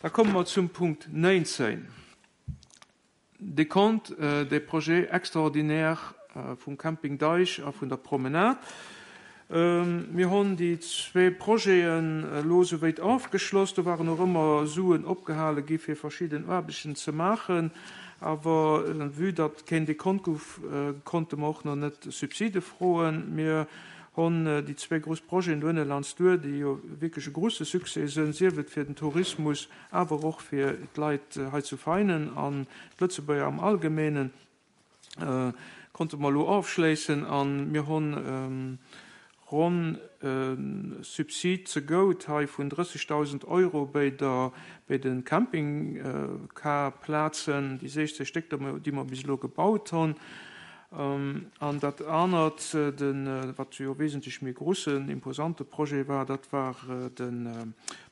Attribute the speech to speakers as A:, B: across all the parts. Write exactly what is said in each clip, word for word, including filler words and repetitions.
A: Da komme mer zum Punkt néinzéng, Décompte des projets extraordinaires vum Camping Deich a vun der Promenade. Mir hunn déi zwee Projeten elo souwéit ofgeschloss. Do waren och ëmmer Suen opgehale gi fir verschidden Aarbechten ze maachen. Awer vue datt keen Dekont gouf, konnte mer och nach net Subside froen. Mir hunn déi zwee grouss Projeten do ënne Landsduer, déi jo wierklech e grousse Succès sënn, sief et fir den Tourismus, awer och fir d'Leit hei zu Veinen an d'Lëtzebuerger am Allgemeenen, konnte mer elo ofschléissen. A mir hunn ronn e Subsid zegout hei vun drëssegdausend Euro bei der, bei de Campingcarplazen, déi sechzeg Stéck, déi mer bis elo gebaut hunn. An dat anert, de, wat jo wesentlech méi groussen, imposante Projet war, dat war de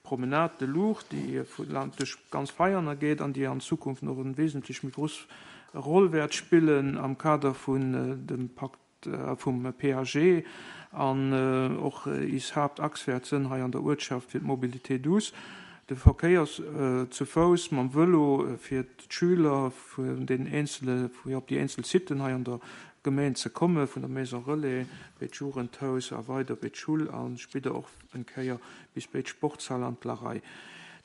A: Promenade de l'Our, déi duerch ganz Veianer geet an déi an Zukunft nach eng wesentlech méi grouss Roll wäert spillen am Kader vun dem Pakt vum P A G an och is Haaptachs wäert sënn hei an der Uertschaft fir d'Mobilité douce, de Verkéier zu Fouss, mam Vëlo, fir d'Schüler vun den eenzele, fir op déi eenzel Siten hei an der Gemeng ze komme, vun der Maison Relais bei d'Jugendhaus a weider bei d'Schull a spéider och eng Kéier bis bei d'Sportshal an d'Larei.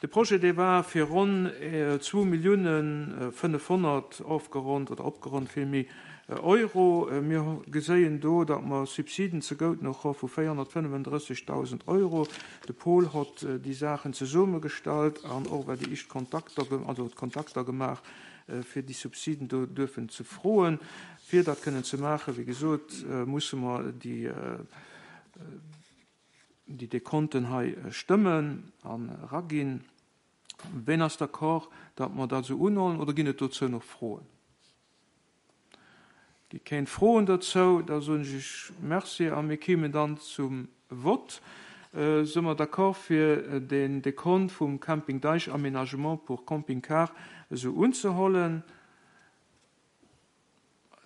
A: De Projet, dee war fir ronn zwou Milliounen fënnefhonnert ofgeronnt oder opgeronnt villméi Euro. Mir geséien do, datt mer Subsiden zegout nach hu vu véierhonnertfënnefendrëssegdausend Euro. De Paul hott déi Saachen zesummegestallt an och well déi éischt Kontakter, also d'Kontakter gemaach, fir déi Subsiden do duerfen ze froen. Fir dat kënnen ze maachen, wéi gesot, musse mer déi déi Dekonten hei stëmmen an eraginn. Ween ass d'accord, datt mer dat esou unhuelen, oder ginn et dozou nach Froen? Gi keng Froen dozou, da soen ech iech Merci a mir kéimen dann zum Vott. Si mer d'accord fir den Dekont vum Camping Deich Aménagement pour Camping-Car esou unzehuelen?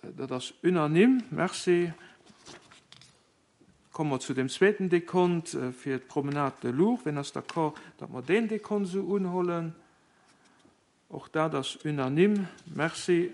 A: Dat ass unanime. Merci. Komme mer zu dem zweeten Dekont fir d'Promenade de l'Our. Ween ass d'accord, datt mer deen Dekont esou unhuelen? Och dat ass unanime. Merci.